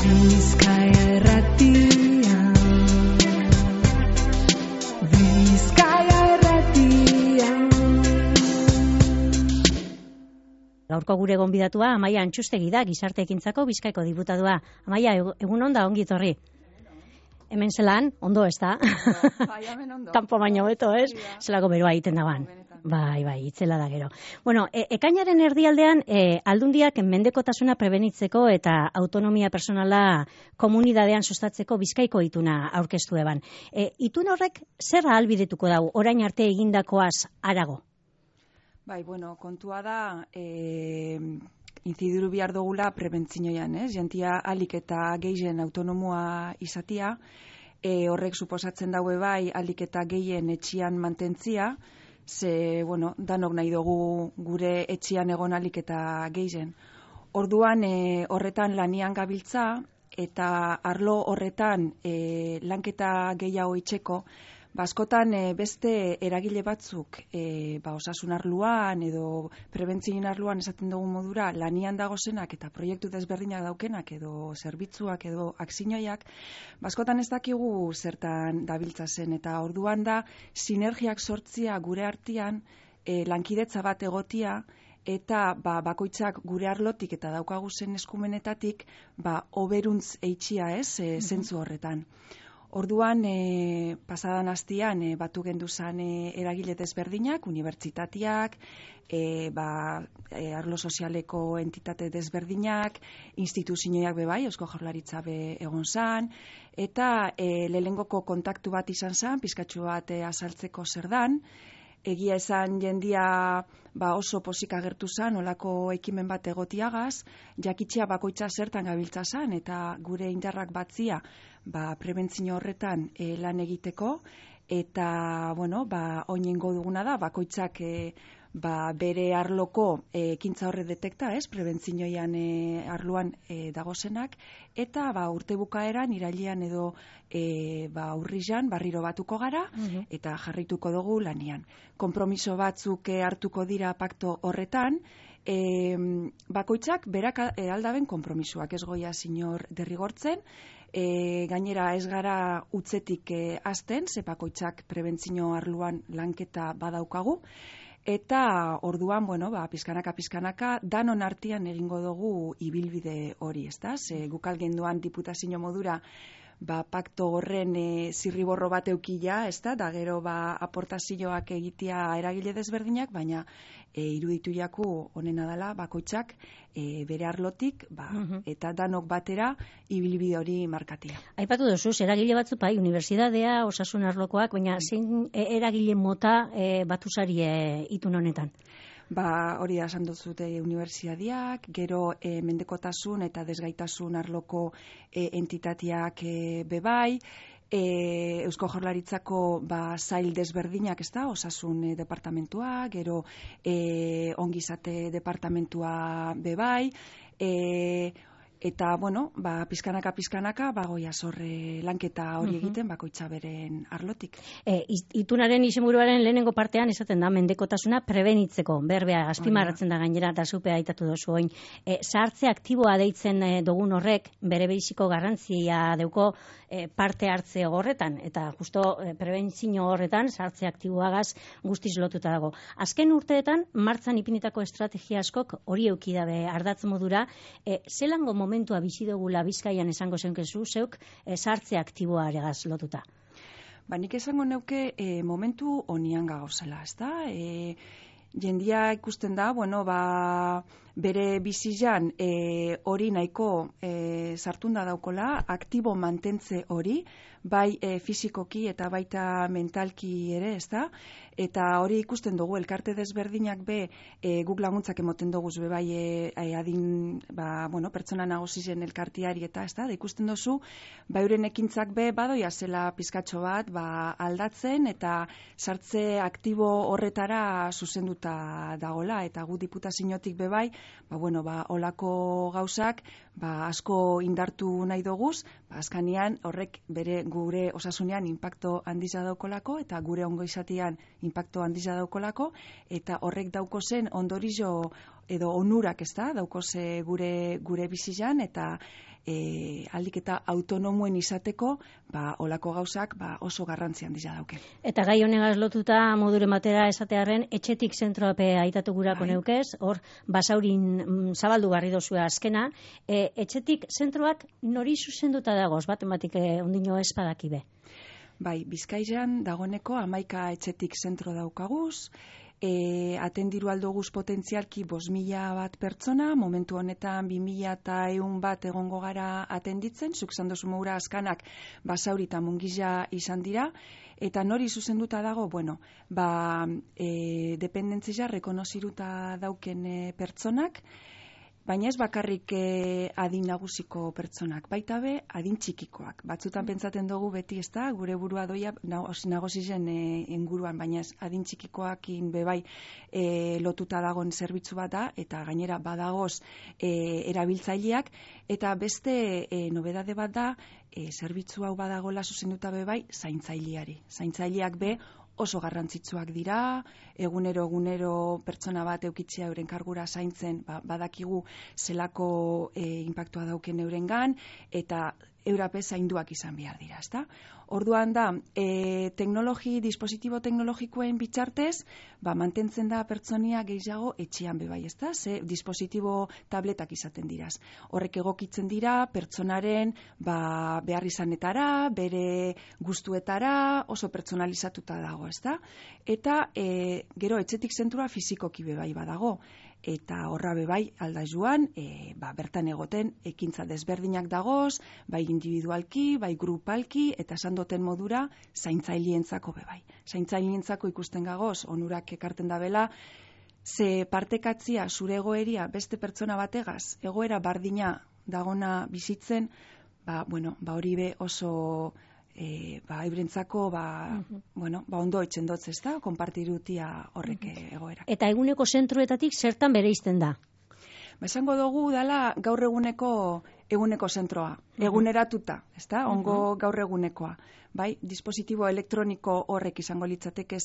Bizkaia Irratia. Bizkaia Irratia. Gaurko gure gonbidatua Amaia Antxustegi da, Gizarte Ekintzako Bizkaiko diputadua. Amaia, egun on da, ongi etorri. Hemen zelan, ondo ez da? Bai, hemen ondo. Kanpo baino beto, ez? Zelako beroa egiten daban. Bai, itzela da gero. Bueno, ekainaren erdialdean, aldundiak mendekotasuna prebenitzeko eta autonomia personala komunidadean sustatzeko Bizkaiko ituna aurkeztu eban. Itun horrek zer ahalbidetuko dau, orain arte egindakoaz harago? Bai, bueno, kontua da, inzidiru behar dugula prebentzinoian, ez? Jentia alik eta gehien autonomoa izatia, horrek suposatzen daue bai alik eta gehien etxian mantentzia, ze, bueno, danok nahi dugu gure etxian egon alik eta gehien. Orduan, horretan lanian gabiltza, eta arlo horretan lanketa gehiago itxeko, askotan beste eragile batzuk osasun arloan edo prebentzioen arloan esaten dugu modura lanian dagozenak eta proiektu desberdinak daukenak edo zerbitzuak edo akzioiak, askotan ez dakigu zertan dabiltza zen eta orduan da sinergiak sortzia gure artean lankidetza bat egotia eta bakoitzak gure arlotik eta daukagu zen eskumenetatik oberuntz eitxia zentzu horretan. Orduan, pasadan astian batu genduzan eragile desberdinak, unibertsitateak, arlo sozialeko entitate desberdinak, instituzioak bebai, Eusko Jaurlaritza be egon zan, eta lehenengoko kontaktu bat izan zan, pizkatxu bat azaltzeko zer dan, egia esan jendia oso posik agertu zan, olako ekimen bat egotiagaz, jakitxea bakoitza zertan gabiltza zan, eta gure indarrak batzia prebentzio horretan lan egiteko, eta, bueno, oinengo duguna da, bakoitzak bere arloko ekintza horre detekta, prebentzioian arloan dagozenak, eta urte bukaeran, irailean edo urrian barriro batuko gara, eta jarrituko dugu lanian. Kompromiso batzuk hartuko dira pakto horretan, bakoitzak berak aldaben kompromisoak, ez goia sinor derrigortzen, gainera ez gara utzetik hasten, ze bakoitzak prebentzio arloan lanketa badaukagu, eta orduan, bueno, pizkanaka, danon artean egingo dugu ibilbide hori, ezta? Ze gukal genduan diputazio modura pakto horren zirriborro bat eukila, ezta? Da gero aportazioak egitea eragile desberdinak, baina iruditu jaku honena dela bakoitzak bere arlotik, eta danok batera ibilbide hori markatia. Aipatu duzu, eragile batzu unibertsitatea, osasun arlokoak, baina zein eragile mota batuzari itun honetan? Hori da esan duzute unibertsitateak, gero mendekotasun eta desgaitasun arloko entitateak bebai, Eusko Jaurlaritzako sail desberdinak, ez da, osasun departamentua, gero ongizate departamentua bebai, eta, bueno, pizkanaka, goia zorre lanketa hori egiten, bakoitza beren arlotik. Itunaren izenburuaren lehenengo partean esaten da mendekotasuna prebenitzeko, berbea, azpimarratzen da gainera, eta zupe aitatu dozu oin. Zahartze aktiboa deitzen dugun horrek, bere behiziko garrantzia deuko parte hartze horretan, eta justo prebentzio horretan, zahartze aktiboagaz guztiz lotuta dago. Azken urteetan, martzan ipinitako estrategia askok hori eukidabe ardatz modura, zelango momentua bizi dugula Bizkaian esango zenkezu, zeuk zahartze aktiboaregaz lotuta? Nik esango neuke momentu honian gauzela, ez da? Jendia ikusten da, bueno, bere bizizan hori nahiko sartunda daukola, aktibo mantentze hori, bai fizikoki eta baita mentalki ere, ez da? Eta hori ikusten dugu, elkarte desberdinak guk laguntzak emoten dugu bai adin, pertsona nagusizen elkartiari eta, ez da? Ikusten duzu, euren ekintzak badoia zela pizkatxo bat aldatzen eta sartze aktibo horretara zuzenduta dagola, eta gu diputaziotik bai, olako gauzak asko indartu nahi doguz, azkanian horrek bere gure osasunean inpakto handiza daukolako eta gure ongo izatean inpakto handiza daukolako, eta horrek dauko zen ondorizo edo onurak, ez da, dauko ze gure bizizan, eta ahalik eta autonomoen izateko, olako gauzak oso garrantzi handia dauke. Eta gai honegaz lotuta moduren batera esatearren, etxetik zentroape aitatu gurako neukez, hor Basaurin zabaldu garri dozue azkena, etxetik zentroak nori zuzenduta dagoz, baten batik ondino espadakibe? Bai, Bizkaian dagoneko 11 etxetik zentro daukaguz, atendiru aldoguz potentzialki 5.000 bat pertsona, momentu honetan 2.100 bat egongo gara atenditzen, zuk zandozu moura azkanak Basauri eta Mungiza izan dira, eta nori zuzenduta dago, dependentzia rekonoziruta dauken pertsonak, baina ez bakarrik adin nagusiko pertsonak, baita be adin txikikoak. Batzutan pentsaten dugu beti, ez da, gure burua doia nagozizen inguruan, baina ez adin txikikoakin bebai lotuta dagoen zerbitzu bat da, eta gainera badagoz erabiltzaileak, eta beste nobedade bat da, zerbitzu hau badagola zuzenduta bebai zaintzaileari. Zaintzaileak be oso garrantzitsuak dira, egunero pertsona bat eukitzea euren kargura zaintzen, badakigu zelako inpaktua dauken eurengan, eta eurape zainduak izan behar dira, ezta? Orduan da, dispositibo teknologikoen bitxartez, mantentzen da pertsonia gehiago etxean bebai, ezta? Ze dispositibo tabletak izaten diraz. Horrek egokitzen dira pertsonaren behar izanetara, bere gustuetara, oso pertsonalizatuta dago, ezta? Eta gero etxetik zentrua fizikoki bebai badago. Eta horra bebai alda joan, bertan egoten ekintza desberdinak dagoz, bai individualki, bai grupalki, eta esan doten modura zaintzailientzako bebai. Zaintzailientzako ikusten gagoz, onurak ekarten dabela, ze partekatzia zure egoeria beste pertsona bategaz, egoera bardina dagona bizitzen, hori be oso eurentzako ondo etxendotz, ez da, konpartirutia horrek egoera. Eta eguneko zentroetatik zertan bereizten da? Esango dugu dela gaur eguneko zentroa, eguneratuta, ez da, ongo gaur egunekoa. Bai, dispositibo elektroniko horrek izango litzatekez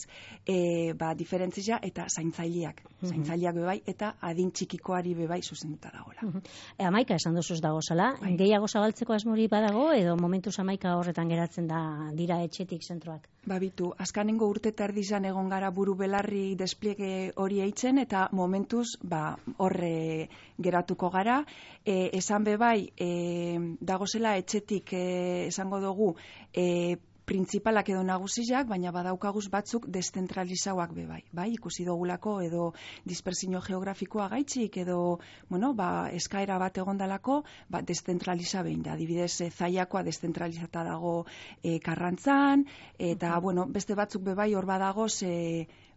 diferentzia eta zaintzaileak. Zaintzaileak bebai eta adin txikikoari bebai zuzenduta dagoela. Amaika esan duzuz dago zela, gehiago zabaltzeko asmori badago edo momentuz amaika horretan geratzen dira etxetik zentroak? Bitu, azkanengo urte tardizan egon gara buru belarri despliege hori eitzen eta momentuz horre geratuko gara. Esan bebai, dagozela etxetik esango dugu printzipalak edo nagusiak, baina badaukaguz batzuk deszentralizauak bebai. Ikusi dugulako edo dispersio geografikoa gaitxik edo eskaera bat egondalako deszentraliza behin da. Adibidez, Zaiakoa deszentralizata dago Karrantzan, eta beste batzuk bebai hor badagoz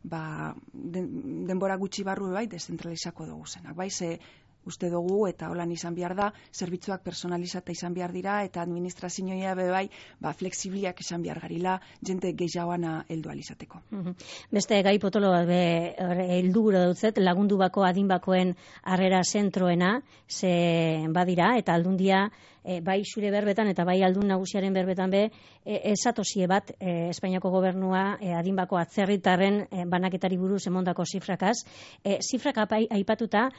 denbora gutxi barru bebai deszentralizako dugu zenak. Ze uste dugu eta holan izan behar da, zerbitzuak personalizata izan behar dira eta administrazioa bebai flexibiliak izan behar garila, jente gehiagoana heldu alizateko. Beste gai potolo heldu gura dutzet, lagundu bako adinbakoen harrera zentroena, ze badira, eta aldundia bai zure berbetan eta bai aldun nagusiaren berbetan esatozie bat Espainiako gobernua adinbako atzerritarren banaketari buruz emondako zifrakaz. Zifrak aipatuta,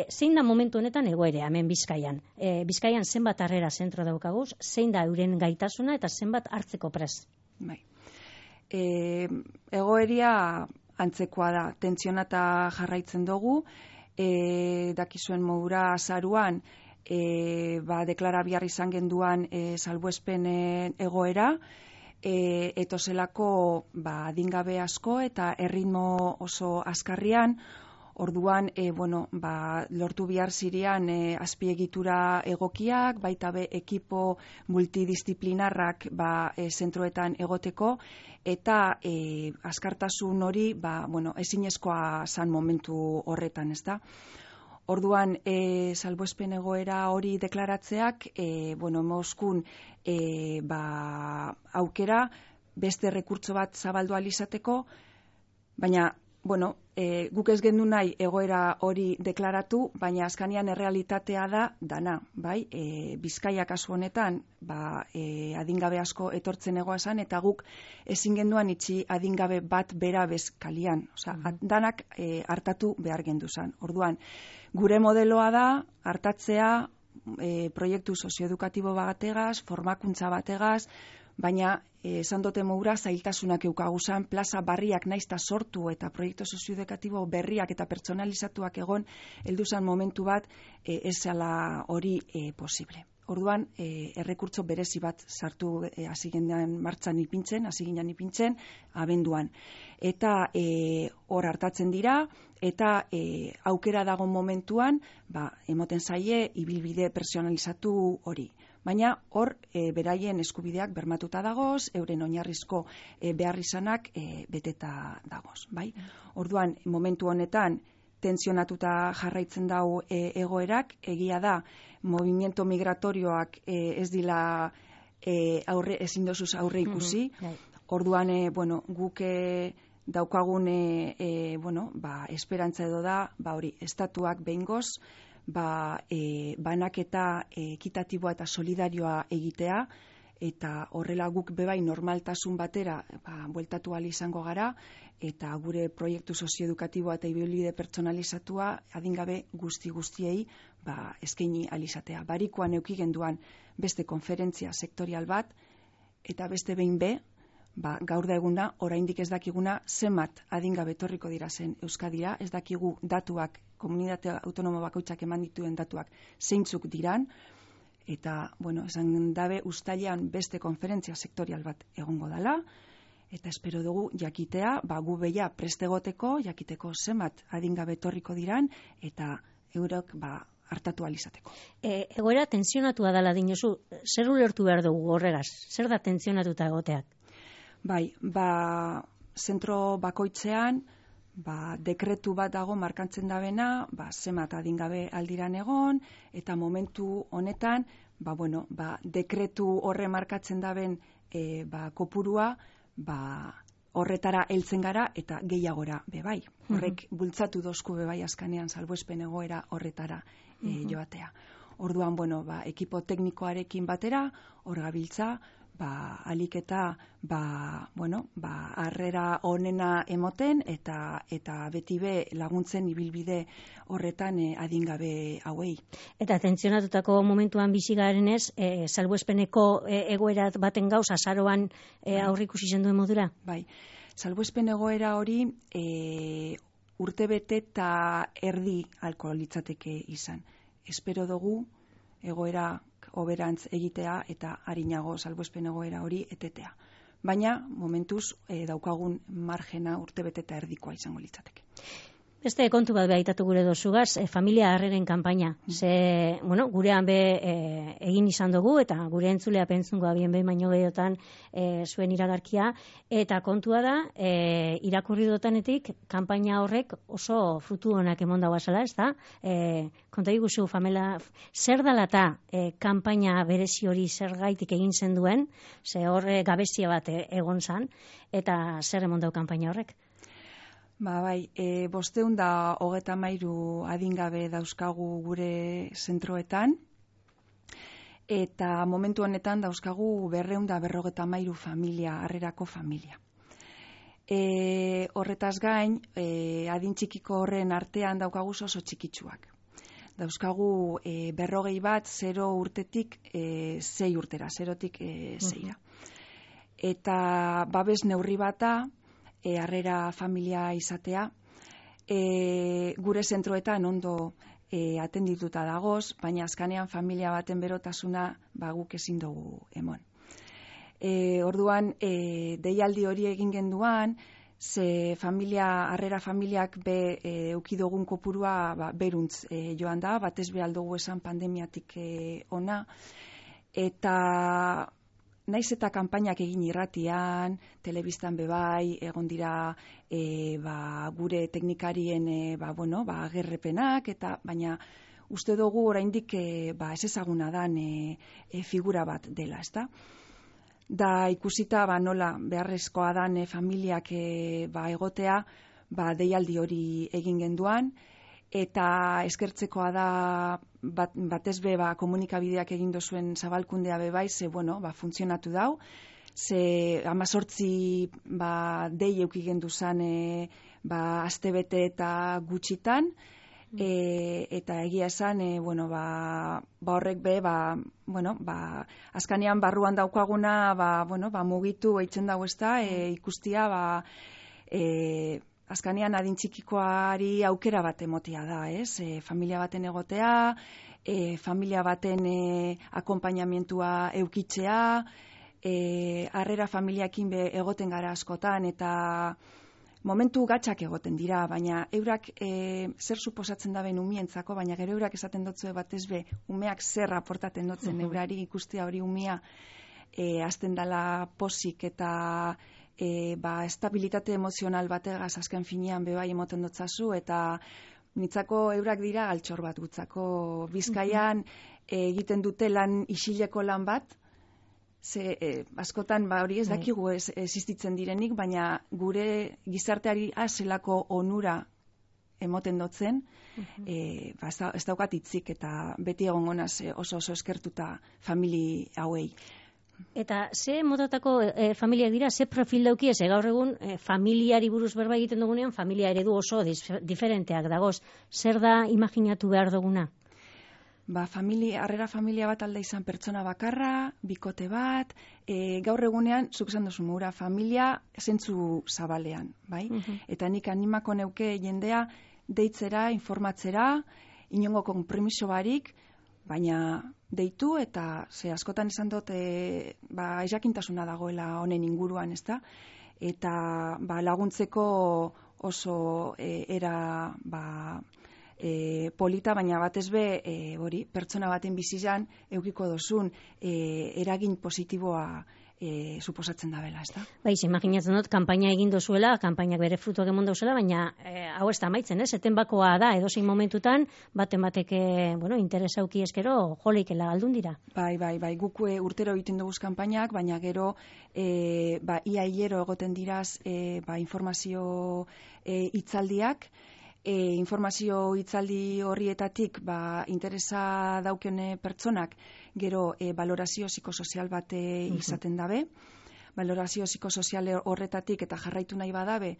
zein da momentu honetan egoera hemen Bizkaian? Bizkaian zenbat harrera zentro daukaguz, zein da euren gaitasuna eta zenbat hartzeko prest? Egoeria antzekoa da, tentsionata jarraitzen dugu, dakizuen modura azaruan, deklara bihar izan genduan salbuespen egoera, etozelako adingabe asko eta erritmo oso azkarrian, orduan lortu bihar zirean azpiegitura egokiak, baita be ekipo multidisciplinarrak zentroetan egoteko, eta azkartasun hori ezinezkoa zan momentu horretan, ez da? Orduan, salbuespen egoera hori deklaratzeak, mozkun aukera, beste rekurtso bat zabaldu alizateko, baina, guk ez gendu nahi egoera hori deklaratu, baina azkanian errealitatea da dana, bai? Bizkaia kasu honetan, adingabe asko etortzen egoazan, eta guk ezin genduan itxi adingabe bat bera bezkalian. Danak hartatu behar gendu zan. Orduan, gure modeloa da, hartatzea, proiektu sozioedukatibo bategaz, formakuntza bategaz, baina esan dote moura zailtasunak eukaguzan, plaza barriak naizta sortu eta proiektu sozioedukatibo berriak eta pertsonalizatuak egon, helduzan momentu bat ez zela hori posible. Orduan, errekurtso berezi bat sartu hasi ginen ipintzen, abenduan. Eta hor hartatzen dira, eta aukera dago momentuan, emoten zaie, ibilbide personalizatu hori. Baina hor, beraien eskubideak bermatuta dagoz, euren oinarrizko beharrizanak beteta dagoz. Bai? Orduan, momentu honetan, tensionatuta jarraitzen dau egoerak, egia da, movimiento migratorioak ez dila ezin dozuz aurre ikusi. Orduan, guk daukagun esperantza edo da, hori, estatuak behingoz, banaketa ekitatiboa eta solidarioa egitea, eta horrela guk bebai normaltasun batera bueltatu ahal izango gara, eta gure proiektu sozioedukatiboa eta ibilbide pertsonalizatua adingabe guztiei eskaini ahal izatea. Barikoan eduki genduan beste konferentzia sektorial bat, eta beste behin gaur da eguna, oraindik ez dakiguna zenbat adingabe etorriko dira zen Euskadira, ez dakigu datuak, komunitate autonomo bakoitzak eman dituen datuak zeintzuk diran, eta, esan dabe uztailean beste konferentzia sektorial bat egongo dela, eta espero dugu jakitea, gu beia prestegoteko, jakiteko zenbat adingabe etorriko diran, eta eurok hartatu alizateko. Egoera tensionatua dela dinozu, zer ulertu behar dugu horregaz? Zer da tensionatuta egoteak? Bai, zentro bakoitzean, dekretu bat dago markantzen dabena, zenbat adingabe aldiran egon, eta momentu honetan, dekretu horre markatzen daben kopurua, horretara heltzen gara eta gehiagora bebai. Horrek bultzatu dozku bebai askanean salbuespen egoera horretara joatea. Orduan, ekipo teknikoarekin batera, hor gabiltza, alik eta harrera onena emoten eta beti laguntzen ibilbide horretan adingabe hauei. Eta tentsionatutako momentuan bizi garenez, salbuespeneko egoera baten gauz azaroan aurrikusi zen duen modura? Bai, salbuespen egoera hori urtebete eta erdi alko litzateke izan. Espero dugu egoera hoberantz egitea eta arinago salbuespen egoera hori etetea. Baina, momentuz, daukagun margena urtebete eta erdikoa izango litzateke. Beste kontu bat behitatu gure dozugaz, familia harreren kanpaina. Gurean egin izan dugu, eta gure entzulea pentzungoa bien behin baino gehiotan zuen iragarkia, eta kontua da, irakurri dotanetik, kanpaina horrek oso frutu honak emon dagoa zela, ez da? Konta iguzu, famela, zer dalata kanpaina berezi hori zer gaitik egin zen duen, ze horre gabezia bat egon zan, eta zer emon dau kanpaina horrek? 523 adingabe dauzkagu gure zentroetan, eta momentu honetan dauzkagu 253 familia, harrerako familia. Horretaz gain, adin txikiko horren artean daukagu oso txikitsuak. Dauzkagu 40 bat 0 urtetik 6 urtera, 0tik 6ra. Eta babes neurri bata, harrera familia izatea, gure zentroetan ondo atendituta dagoz, baina azkanean familia baten berotasuna guk ezin dugu emon. Orduan, deialdi hori egin genduan, ze harrera familiak eukidogun kopurua beruntz joan da, batez behaldugu esan pandemiatik ona, eta naiz eta kanpainak egin irratian, telebistan bebai, egon dira gure teknikarien agerrepenak, baina uste dugu oraindik ez ezaguna dan figura bat dela, ezta? Da ikusita nola beharrezkoa dan familiak egotea, deialdi hori egin genduan, eta eskertzekoa da batez komunikabideak egin dozuen zabalkundea bebai, ze funtzionatu dau, ze 18 dei euki gendu zan astebete eta gutxitan, Eta egia esan, horrek be, azkanean barruan daukaguna, mugitu eitzen dago ezta, ikustia, azkanean adin txikikoari aukera bat emotia da, ez? Familia baten egotea, familia baten akonpainamentua eukitzea, harrera familiakin be egoten gara askotan, eta momentu gatzak egoten dira, baina eurak zer suposatzen daben umientzako, baina gero eurak esaten dotzue batez be, umeak zer aportaten dotzen eurari ikustia hori umia azten dala posik eta estabilitate emozional bategaz azken finean bebai emoten dotzazu, eta nitzako eurak dira altxor bat gutzako. Bizkaian egiten dute lan isileko lan bat, askotan hori ez dakigu existitzen direnik, baina gure gizarteari zelako onura emoten dotzen, ez daukat hitzik eta beti egongo naz oso eskertuta famili hauei. Eta ze motatako familiak dira, ze profil dauki, ez gaur egun familiari buruz berba egiten dugunean, familia eredu oso diferenteak dagoz. Zer da imaginatu behar duguna? Harrera familia bat alda izan pertsona bakarra, bikote bat, gaur egunean, zuk esan duzu mura, familia zentzu zabalean, bai? Eta nik animako neuke jendea deitzera, informatzera, inongo konpromiso barik, baina deitu eta askotan esan dut jakintasuna dagoela honen inguruan, ezta? Eta laguntzeko oso era polita, baina batez be pertsona baten bizizan eukiko dozun eragin positiboa suposatzen da bela, ezta? Imaginatzen dut, kanpaina egin dozuela, kanpainak bere frutuak emon dozuela, baina hau ez da amaitzen, ez? Eten bakoa da, edozein momentutan, baten batek, interesa auki eskero, joleikela galdun dira. Bai, guk urtero egiten duguz kanpainak, baina gero, ia hilero egoten diraz, informazio hitzaldiak, informazio hitzaldi horrietatik interesa daukene pertsonak gero valorazio psikosozial bat izaten dabe. Valorazio psikosozial horretatik eta jarraitu nahi badabe,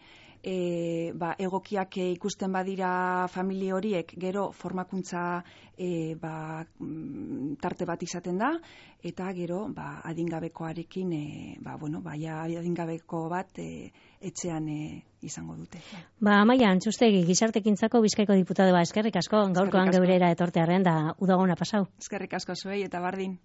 egokiak ikusten badira familia horiek gero formakuntza tarte bat izaten da, eta gero adingabekoarekin, adingabeko bat etxean izango dute. Amaia Antxustegi, Gizartekintzako Bizkaiko diputadua, eskerrik asko, gaurkoan geurera etortearren da udagona pasau. Eskerrik asko zuei eta bardin.